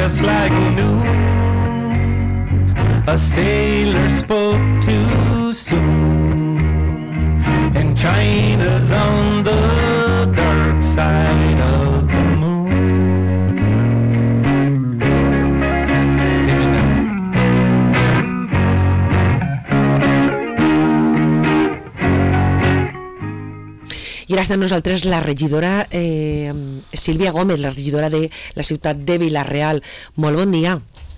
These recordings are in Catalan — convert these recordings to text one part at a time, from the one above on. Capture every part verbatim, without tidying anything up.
just like new. A sailor spoke too soon, and China's on the dark side of the moon. I ara està amb nosaltres la regidora eh, Sílvia Gómez, la regidora de la ciutat de Vila-real. Molt bon dia.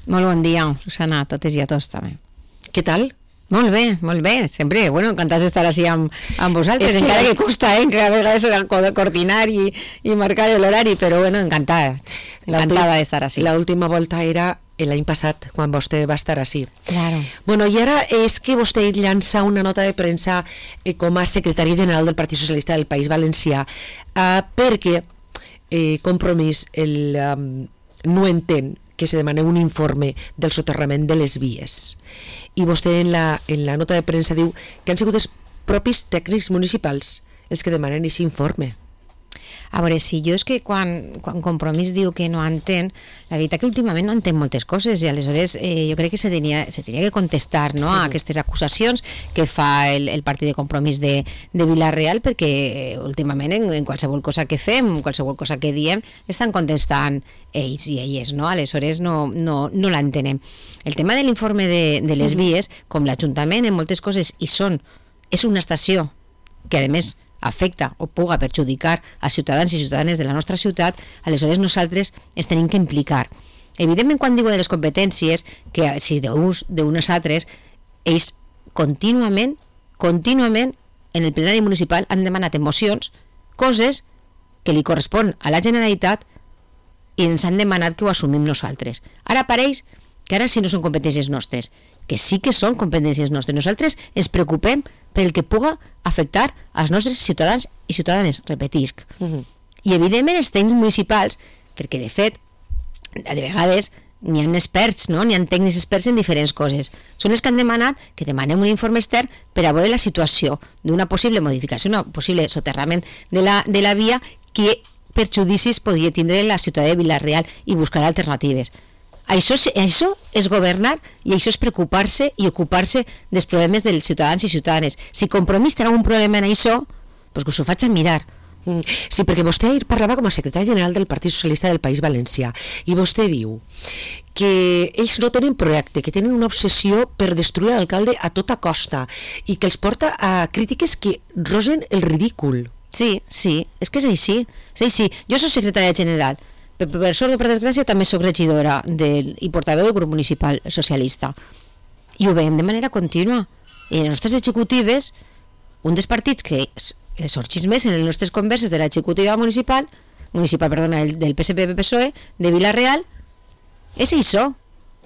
Molt bon dia, Susana, a totes i a tots també. Què tal? Molt bé, molt bé, sempre, bueno, encantats d'estar així amb, amb vosaltres, que encara que costa, eh, que a vegades coordinar i, i marcar l'horari, però bueno, encantada, encantada d'estar així. L'última volta era l'any passat, quan vostè va estar així. Claro. Bueno, i ara és que vostè llança una nota de premsa eh, com a secretària general del Partit Socialista del País Valencià, eh, perquè eh, Compromís el, um, no entén que se demana un informe del soterrament de les vies. I vostè en la, en la nota de premsa diu que han sigut els propis tècnics municipals els que demanen aquest informe. A veure, si jo és que quan, quan Compromís diu que no entén, la veritat que últimament no entén moltes coses i aleshores eh, jo crec que se tenia, se tenia que contestar, no, a aquestes acusacions que fa el, el partit de Compromís de, de Vila-real, perquè eh, últimament en, en qualsevol cosa que fem, qualsevol cosa que diem, estan contestant ells i elles, no? Aleshores no, no, no l'entenem. El tema de l'informe de, de les vies, com l'Ajuntament en moltes coses i són, és una estació que a més afecta o puga perjudicar a ciutadans i ciutadanes de la nostra ciutat, aleshores nosaltres es tenim que implicar. Evidentment, quan digo de les competències, que si d'uns d'unes altres, ells contínuament, contínuament, en el plenari municipal han demanat en mocions coses que li correspon a la Generalitat i ens han demanat que ho assumim nosaltres. Ara pareix que ara sí no són competències nostres, que sí que són competències nostres. Nosaltres ens preocupem pel que puga afectar als nostres ciutadans i ciutadanes, repetisc. Uh-huh. I evidentment els tècnics municipals, perquè de fet, de vegades n'hi ha experts, no? N'hi ha tècnics experts en diferents coses. Són els que han demanat que demanem un informe extern per a veure la situació d'una possible modificació, un possible soterrament de la, de la via que perjudicis podria tindre la ciutat de Vila-real i buscar alternatives. Això, això és governar i això és preocupar-se i ocupar-se dels problemes dels ciutadans i ciutadanes. Si Compromís té algun problema en això, doncs que us ho faig a mirar. Sí, perquè vostè ahir parlava com a secretari general del Partit Socialista del País Valencià i vostè diu que ells no tenen projecte, que tenen una obsessió per destruir l'alcalde a tota costa i que els porta a crítiques que rosen el ridícul. Sí, sí, és que és així. És així. Jo soc secretària general. Per, per sort o per desgràcia també soc regidora del, i portaveu del grup municipal socialista i ho veiem de manera contínua i les nostres executives, un dels partits que sorgís més en les nostres converses de l'executiva municipal municipal, perdona, del P S P P S O E de Vila-real, és això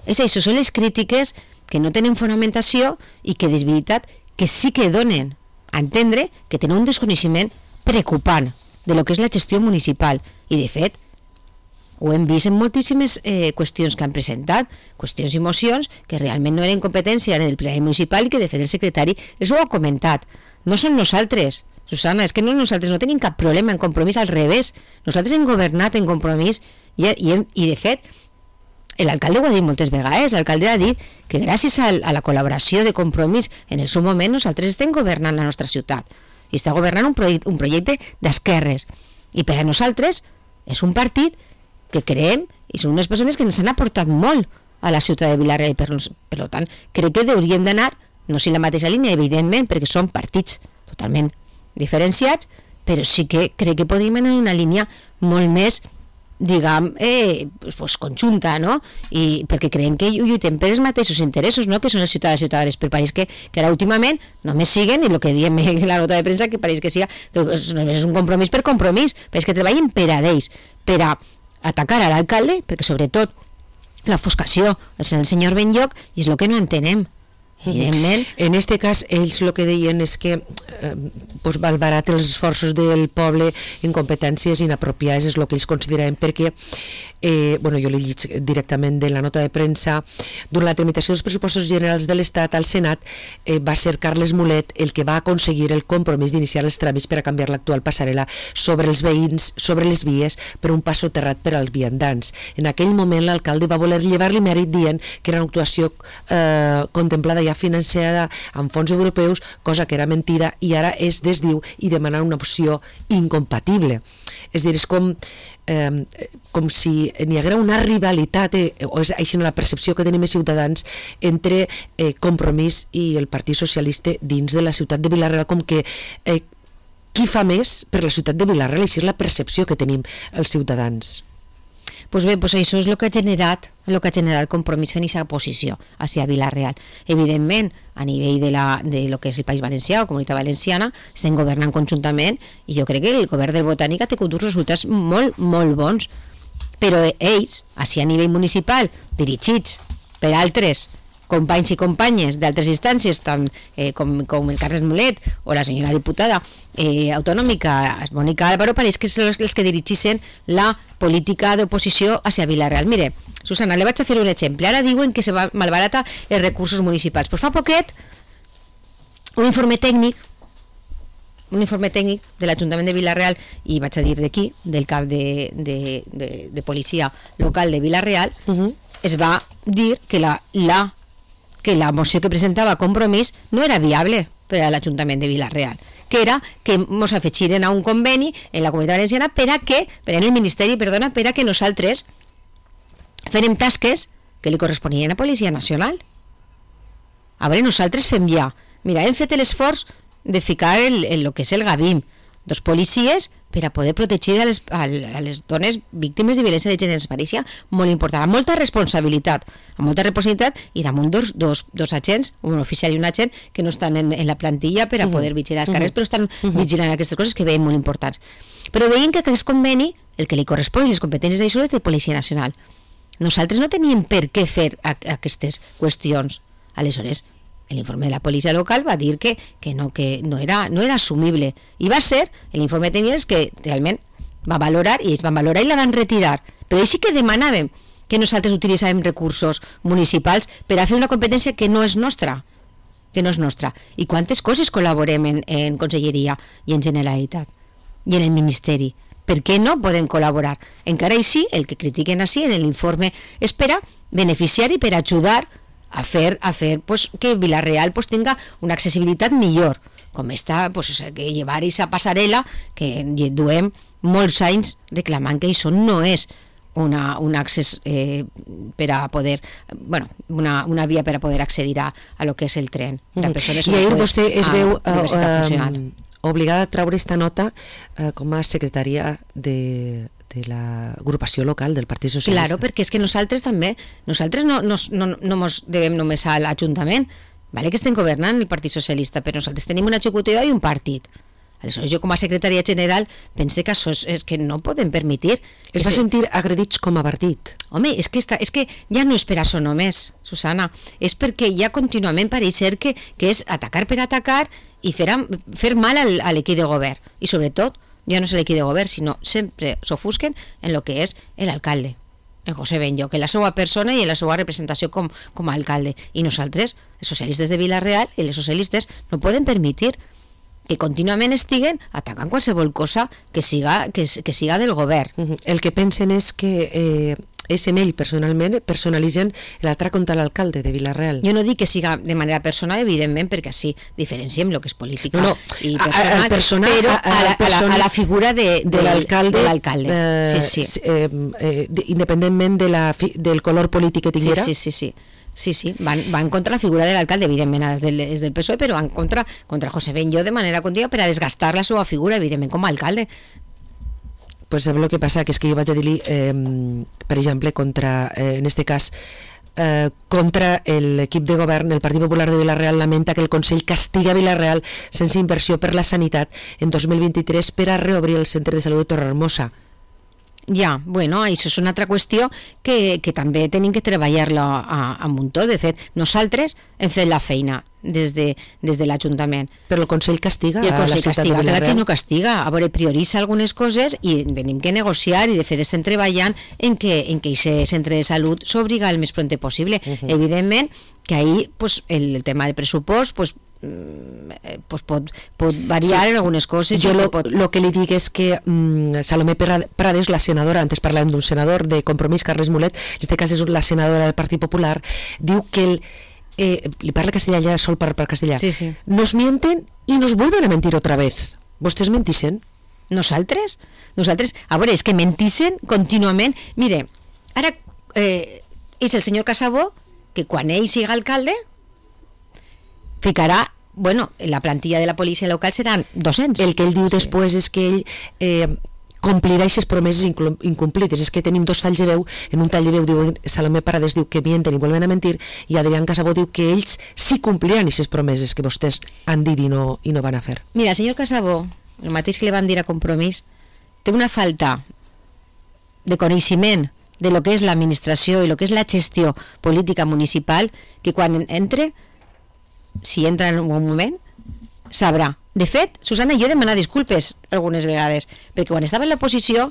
és això, són les crítiques que no tenen fonamentació i que és veritat que sí que donen a entendre que tenen un desconeixement preocupant de lo que és la gestió municipal i de fet ho hem vist en moltíssimes eh, qüestions que han presentat, qüestions i mocions que realment no eren competència en el plenari municipal i que de fet el secretari els ho ha comentat. No són nosaltres, Susana, és que no nosaltres no tenim cap problema en Compromís, al revés, nosaltres hem governat en Compromís i, i, hem, i de fet l'alcalde ho ha dit moltes vegades, l'alcalde ha dit que gràcies a, a la col·laboració de Compromís en el seu moment nosaltres estem governant la nostra ciutat i està governant un, projecte, un projecte d'esquerres i per a nosaltres és un partit que creem i són unes persones que ens han aportat molt a la ciutat de Vila-real, per, per tant crec que hauríem d'anar, no sé la mateixa línia evidentment, perquè són partits totalment diferenciats, però sí que crec que podríem anar en una línia molt més diguem, eh, pues, conjunta, no? I perquè creiem que lluitem per els mateixos interessos, no? Que són els ciutadans i ciutadanes, per pareix que, que ara últimament només siguen, i el que diem en la nota de premsa, que pareix que siga, que és un compromís per compromís, però és que treballen per a ells, per a atacar a l'alcalde, perquè sobretot l'ofuscació és el senyor Benlloc i és el que no entenem. evidentment. En este cas, ells el que deien és que eh, pues, malbarat els esforços del poble en competències inapropiades, és el que ells consideraven, perquè eh, bueno, jo li llig directament de la nota de premsa. Durant la tramitació dels pressupostos generals de l'Estat al Senat eh, va ser Carles Mulet el que va aconseguir el compromís d'iniciar els tràmits per a canviar l'actual passarel·la sobre els veïns, sobre les vies, per un pas soterrat per als viandants. En aquell moment l'alcalde va voler llevar-li mèrit dient que era una actuació eh, contemplada ja financiada amb fons europeus, cosa que era mentida, i ara es desdiu i demanar una opció incompatible. És a dir, és com, eh, com si n'hi haguera una rivalitat, eh, o és així la percepció que tenim els ciutadans, entre eh, Compromís i el Partit Socialista dins de la ciutat de Vila-real, com que eh, qui fa més per la ciutat de Vila-real, així és la percepció que tenim els ciutadans. Pues bé, pues això és el que ha generat el que ha generat Compromís fent aquesta posició hacia Vila-real. Evidentment, a nivell de, la, de lo que és el País Valencià o Comunitat Valenciana, estem governant conjuntament i jo crec que el govern del Botànic ha tingut uns resultats molt, molt bons. Però ells, així a nivell municipal, dirigits per altres companys i companyes d'altres instàncies, tant eh, com, com el Carles Mulet o la senyora diputada eh, autonòmica Mònica Álvaro, pareix que són els que dirigissin la política d'oposició hacia Vila-real. Mire, Susana, le vaig a fer un exemple. Ara diuen que se va malbarata els recursos municipals. Pues fa poquet, un informe tècnic un informe tècnic de l'Ajuntament de Vila-real, i vaig a dir d'aquí, del cap de, de, de, de policia local de Vila-real, uh-huh. es va dir que la, la que la moció que presentava Compromís no era viable per a l'Ajuntament de Vila-real, que era que ens afegiren a un conveni en la Comunitat Valenciana per a que, per en el Ministeri, perdona, per a que nosaltres fèrem tasques que li corresponien a Policia Nacional. A veure, nosaltres fem ja, mira, hem fet l'esforç de ficar el, el, el que és el Gavim, dos policies per a poder protegir a les, a les dones víctimes de violència de gènere. Pareixia molt important, amb molta responsabilitat, amb molta responsabilitat, i damunt dos, dos, dos agents, un oficial i un agent, que no estan en, en la plantilla per a poder vigilar els carrers, però estan vigilant aquestes coses que veiem molt importants. Però veiem que aquest conveni, el que li correspon i les competències d'això és de Policia Nacional. Nosaltres no teníem per què fer a, a aquestes qüestions. Aleshores, l'informe de la policia local va dir que, que, no, que no, era, no era assumible, i va ser l'informe tècnic que realment va valorar, i ells van valorar i la van retirar, però ells sí que demanàvem que nosaltres utilitzàvem recursos municipals per a fer una competència que no és nostra, que no és nostra. I quantes coses col·laborem en, en Conselleria i en Generalitat i en el Ministeri? Per què no poden col·laborar? Encara així, el que critiquen així en l'informe és per a beneficiar i per a ajudar a fer, a fer pues, que Vila-real pues, tenga una accessibilitat millor, com està pues, que llevar aquesta passarel·la que duem molts anys reclamant que això no és una, un accés eh, per a poder, bueno, una, una via per a poder accedir a, a lo que és el tren. Mm. I ahir vostè es veu uh, uh, obligada a treure esta nota uh, com a secretària de de l'agrupació local del Partit Socialista. Claro, perquè és que nosaltres també, nosaltres no, no, no, no mos devem només a l'Ajuntament, vale que estem governant el Partit Socialista, però nosaltres tenim una executiva i un partit. Aleshores, jo com a secretària general pense que això és, és que no podem permetir. Es va sentir agredits com a partit. Home, és que, està, és que ja no és per això només, Susana, és perquè ja contínuament pareix ser que, que és atacar per atacar i fer, fer mal al, a l'equip de govern, i sobretot ja no és l'equip de govern, sinó sempre s'ofusquen en el que és l'alcalde, en José Benllo, que és la seva persona i en la seva representació com, com a alcalde. I nosaltres, els socialistes de Vila-real i les socialistes, no poden permetir que contínuament estiguen atacant qualsevol cosa que siga, que, que siga del govern. Uh-huh. El que pensen és que eh, és en ell personalment, personalitzen l'atac contra l'alcalde de Vila-real. Jo no dic que siga de manera personal, evidentment, perquè així diferenciem el que és política no, no. i personal, a, a personal, però a, a, la, a, la, a la figura de, de, de l'alcalde, de l'alcalde. Eh, sí, sí. Eh, eh, independentment de la, del color polític que tinguera. Sí, sí, sí, sí. Sí, sí, van, van contra la figura de l'alcalde, evidentment, des del, des del P S O E, però van contra, contra José Benllo de manera contínua per a desgastar la seva figura, evidentment, com a alcalde. Pues sabe lo que passa, que és que jo vaig a dir-li, eh, per exemple, contra, eh, en este cas, eh, contra l'equip de govern, el Partit Popular de Vila-real lamenta que el Consell castiga Vila-real sense inversió per la sanitat en dos mil vint-i-tres per a reobrir el Centre de Salut de Torrehermosa. Ja, bueno, això és una altra qüestió que, que també tenim que treballar-la a, a muntó. De fet, nosaltres hem fet la feina des de, des de l'Ajuntament. Però el Consell castiga I el a la Consell ciutat castiga, de clar que Vila-real. no castiga. A veure, prioritza algunes coses i tenim que negociar i de fet estem treballant en que en que aquest centre de salut s'obliga el més prompte possible. Uh -huh. Evidentment que ahí pues, el, el tema del pressupost pues, pues pot, pot variar sí. en algunes coses. Jo lo, pot... lo que li dic és que mm, Salomé Prades, la senadora, antes parlàvem d'un senador de Compromís, Carles Mulet, en este cas és la senadora del Partit Popular, diu que el, eh, li parla castellà ja, sol per, per castellà, sí, sí. nos mienten i nos vuelven a mentir otra vez. Vostès mentixen? Nosaltres? Nosaltres, a veure, és que mentixen contínuament. Mire, ara eh, és el senyor Casabó que quan ell siga alcalde ficarà, bueno, la plantilla de la policia local seran dos-cents. El que ell diu sí. després és que ell eh, complirà aquestes promeses incomplites. És que tenim dos talls de veu. En un tall de veu diu Salomé Prades diu que mienten i vuelven a mentir, i Adrián Casabó diu que ells sí compliran aquestes promeses que vostès han dit i no, i no van a fer. Mira, el senyor Casabó, el mateix que li van dir a Compromís, té una falta de coneixement de lo que és l'administració i lo que és la gestió política municipal, que quan entre, si entra en un moment, sabrà. De fet, Susana, jo he demanat disculpes algunes vegades, perquè quan estava en l'oposició,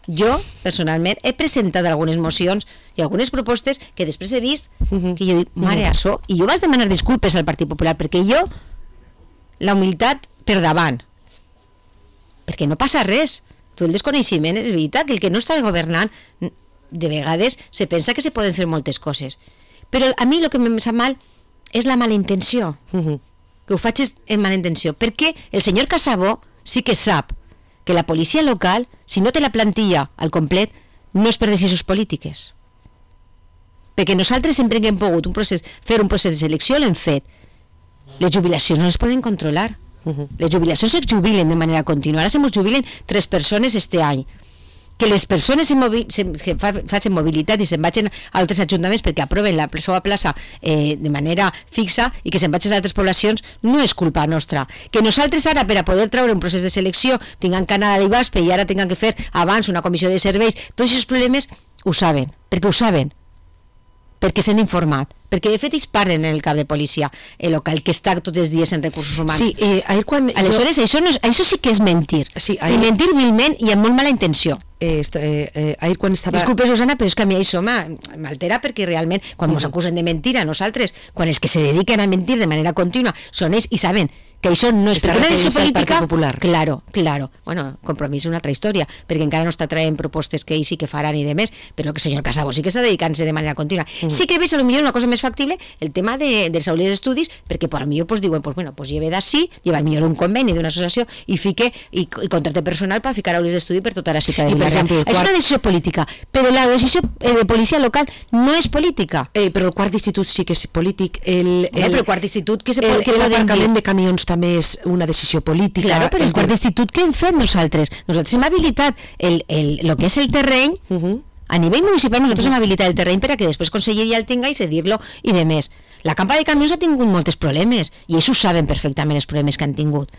jo, personalment, he presentat algunes mocions i algunes propostes que després he vist uh-huh. que jo dic, mare, uh-huh. això, i jo vaig demanar disculpes al Partit Popular, perquè jo, la humilitat per davant, perquè no passa res. Tu el desconeixement és veritat que el que no està governant de vegades se pensa que se poden fer moltes coses, però a mi el que em sap mal és la mala intenció, uh-huh. que ho faig en mala intenció, perquè el senyor Casabó sí que sap que la policia local, si no té la plantilla al complet, no és per decisions polítiques, perquè nosaltres sempre que hem pogut un procés, fer un procés de selecció l'hem fet. Les jubilacions no les poden controlar. Uh-huh. Les jubilacions es jubilen de manera continua. Ara se mos jubilen tres persones este any. Que les persones se movi se, que fa, facin mobilitat i se'n vagin a altres ajuntaments perquè aproven la seva plaça eh, de manera fixa i que se'n vagin a altres poblacions no és culpa nostra. Que nosaltres ara per a poder treure un procés de selecció tinguem que anar a l'I B A S P i ara tinguem que fer abans una comissió de serveis, tots aquests problemes ho saben, perquè ho saben, perquè s'han informat, perquè de fet ells parlen en el cap de policia el local que està tots els dies en recursos humans. Sí, eh, ahir quan... Aleshores, jo... això, no és, això sí que és mentir. Sí, ahir... I mentir vilment i amb molt mala intenció. Eh, eh, eh, ahir quan estava... Disculpe, Susana, però és que a mi això m'altera perquè realment, quan ens uh-huh. acusen de mentir a nosaltres, quan els que se dediquen a mentir de manera contínua són ells i saben que això no és Està per una decisió referint-se al política, Partit Popular. claro, claro. Bueno, Compromís és una altra història, perquè encara no està traient propostes que ells sí que faran i demés, però que el senyor Casabó sí que està dedicant-se de manera contínua. Uh-huh. Sí que veig a lo millor una cosa més factible, el tema de, dels aules d'estudis, perquè per a lo millor pues, diuen, pues, bueno, pues lleve d'ací, lleva al millor un conveni d'una associació i fique i, i contracte personal per ficar aules d'estudi per tota la ciutat de Vila-real. És quart... una decisió política, però la decisió eh, de policia local no és política. Eh, però el quart d'institut sí que és polític. El, el, no, però el quart d'institut que se pot, que l'aparcament de camions també és una decisió política. Claro, però el quart d'institut que hem fet nosaltres? Nosaltres hem habilitat el, el, el que és el terreny, uh-huh. a nivell municipal nosaltres uh-huh. hem habilitat el terreny per a que després Conselleria el tinga i cedir-lo i de més. La campa de camions ha tingut molts problemes i ells ho saben perfectament els problemes que han tingut.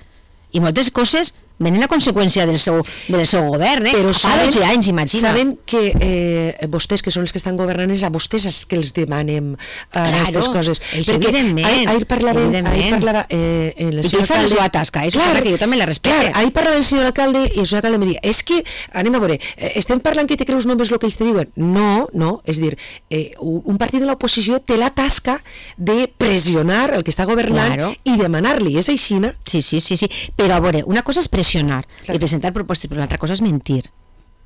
I moltes coses venen a conseqüència del seu, del seu govern, eh? Però saben, dotze anys, imagina. Saben que eh, vostès, que són els que estan governant, és a vostès els que els demanem aquestes claro, coses. Perquè evidentment. Ahir, ahir parlava, ahir parlava eh, el I tu fas la seva tasca, és clar, que jo també la respecte. Clar, ahir parlava el senyor alcalde i el senyor alcalde em deia, és que, anem a veure, eh, estem parlant que te creus només el que ells te diuen. No, no, és dir, eh, un partit de l'oposició té la tasca de pressionar el que està governant claro. i demanar-li, és així, no? Sí, sí, sí, sí, però a veure, una cosa és pressionar claro. i presentar propostes, però l'altra cosa és mentir.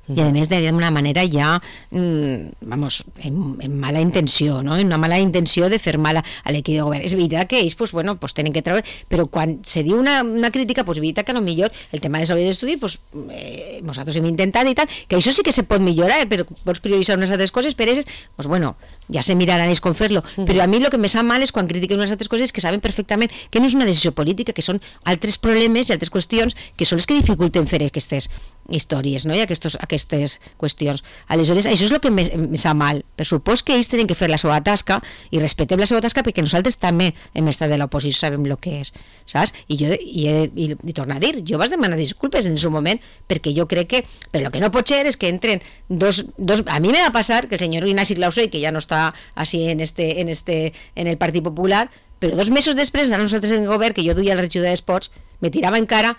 I a més d'una manera ja mmm, vamos, en, en mala intenció, no? En una mala intenció de fer mal a, a l'equip de govern. És veritat que ells pues, bueno, pues, tenen que treure, però quan se diu una, una crítica, pues, veritat que no millor el tema de salut d'estudi, pues, eh, nosaltres hem intentat i tal, que això sí que se pot millorar, però pots prioritzar unes altres coses, per ells, pues, bueno, ja se miraran ells com fer-lo, uh-huh. però a mi el que me sap mal és quan critiquen unes altres coses que saben perfectament que no és una decisió política, que són altres problemes i altres qüestions que són les que dificulten fer aquestes històries, no? I aquestos, aquestes qüestions. Aleshores, això és el que em, em sap mal. Per supòs que ells tenen que fer la seva tasca i respetem la seva tasca perquè nosaltres també hem estat de l'oposició, sabem el que és, saps? I jo, i, i, i torno a dir, jo vaig demanar disculpes en el seu moment perquè jo crec que, però el que no pot ser és que entren dos, dos a mi me va passar que el senyor Ignasi Clausell, que ja no està així en, este, en, este, en el Partit Popular, però dos mesos després, a nosaltres en el govern, que jo duia el regidor d'Esports, me tirava encara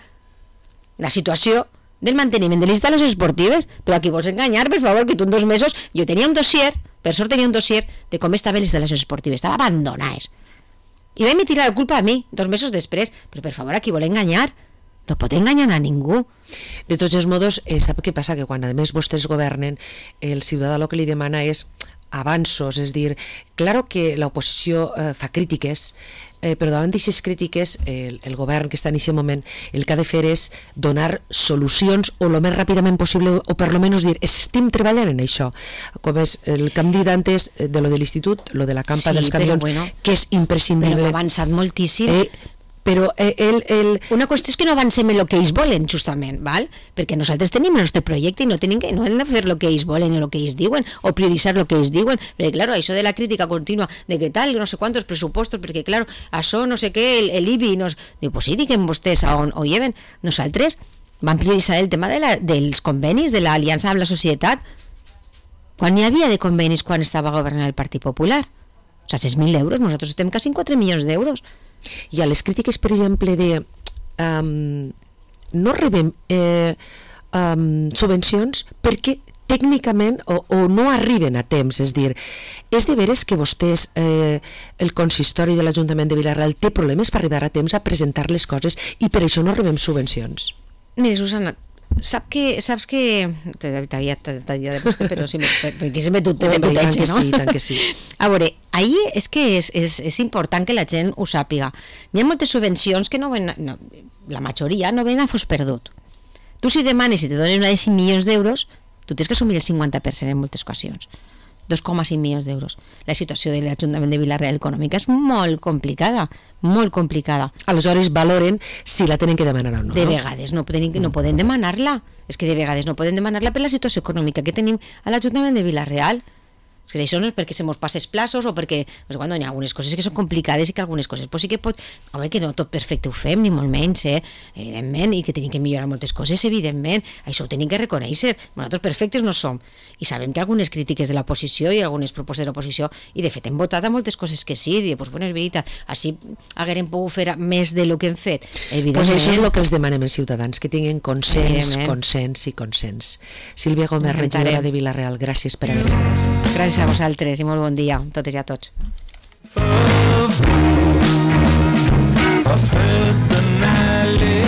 la situació del manteniment de les instal·lacions esportives, però aquí vols enganyar, per favor, que tu en dos mesos, jo tenia un dossier, per sort tenia un dossier de com estaven les instal·lacions esportives, estaven abandonades, i vam tirar la culpa a mi, dos mesos després, però per favor, aquí vol enganyar, no pot enganyar a ningú. De tots els modos, eh, sap què passa? Que quan a més vostès governen, el ciutadà el que li demana és avanços, és dir, claro que l'oposició eh, fa crítiques, eh, però davant d'aquestes crítiques eh, el, el govern que està en aquest moment el que ha de fer és donar solucions o el més ràpidament possible, o per lo menys dir estem treballant en això, com és el que hem dit antes de lo de l'institut, lo de la campa Sí, dels però camions, bueno, que és imprescindible, Però ha avançat moltíssim. eh, però eh, el, el, Una qüestió és que no avancem en el que ells volen, justament, val? Perquè nosaltres tenim el nostre projecte i no, tenim que, no hem de fer el que ells volen o el que ells diuen, o prioritzar el que ells diuen, perquè, clar, això de la crítica contínua de que tal, no sé quantos pressupostos, perquè, clar, això no sé què, el, el I B I, no... Diu, pues sí, diguem vostès a on ho lleven. Nosaltres vam prioritzar el tema de la, dels convenis, de l'aliança amb la societat, quan n'hi havia de convenis quan estava governant el Partit Popular. O sigui, sis mil euros, nosaltres estem quasi en quatre milions d'euros. i a les crítiques, per exemple, de um, no rebem eh, um, subvencions perquè tècnicament o, o no arriben a temps, és dir, és de veres que vostès, eh, el consistori de l'Ajuntament de Vila-real té problemes per arribar a temps a presentar les coses i per això no rebem subvencions. Mira, Susana, sap que, saps que t'havia de vostè, però si me, perquè se me tu, te, Home, tu tant no? que sí, tant que sí. A veure, ahir és que és, és, és important que la gent ho sàpiga. N'hi ha moltes subvencions que no ven, no, la majoria no ven a fos perdut. Tu si demanes i te donen una de cinc milions d'euros, tu tens que assumir el cinquanta per cent en moltes ocasions. dos coma cinc milions d'euros. La situació de l'Ajuntament de Vila-real econòmica és molt complicada, molt complicada. Aleshores valoren si la tenen que demanar o no. De no? vegades no poden, no poden demanar-la. És que de vegades no poden demanar-la per la situació econòmica que tenim a l'Ajuntament de Vila-real. És que això no és perquè se mos passe els plaços o perquè pues, quan hi ha algunes coses que són complicades i que algunes coses pues, sí que pot... A veure, que no tot perfecte ho fem, ni molt menys, eh? Evidentment, i que tenim que millorar moltes coses, evidentment. Això ho tenim que reconèixer. Nosaltres perfectes no som. I sabem que algunes crítiques de l'oposició i algunes propostes de l'oposició, i de fet hem votat a moltes coses que sí, i pues, bueno, és veritat, així haguérem pogut fer més de lo que hem fet. Evidentment. Pues això és el que els demanem els ciutadans, que tinguin consens, Evidentment. consens i consens. Sílvia Gómez, Intentarem. regidora de Vila-real, gràcies per haver estat així. Gràcies a vosaltres i molt bon dia a totes i a tots. A personality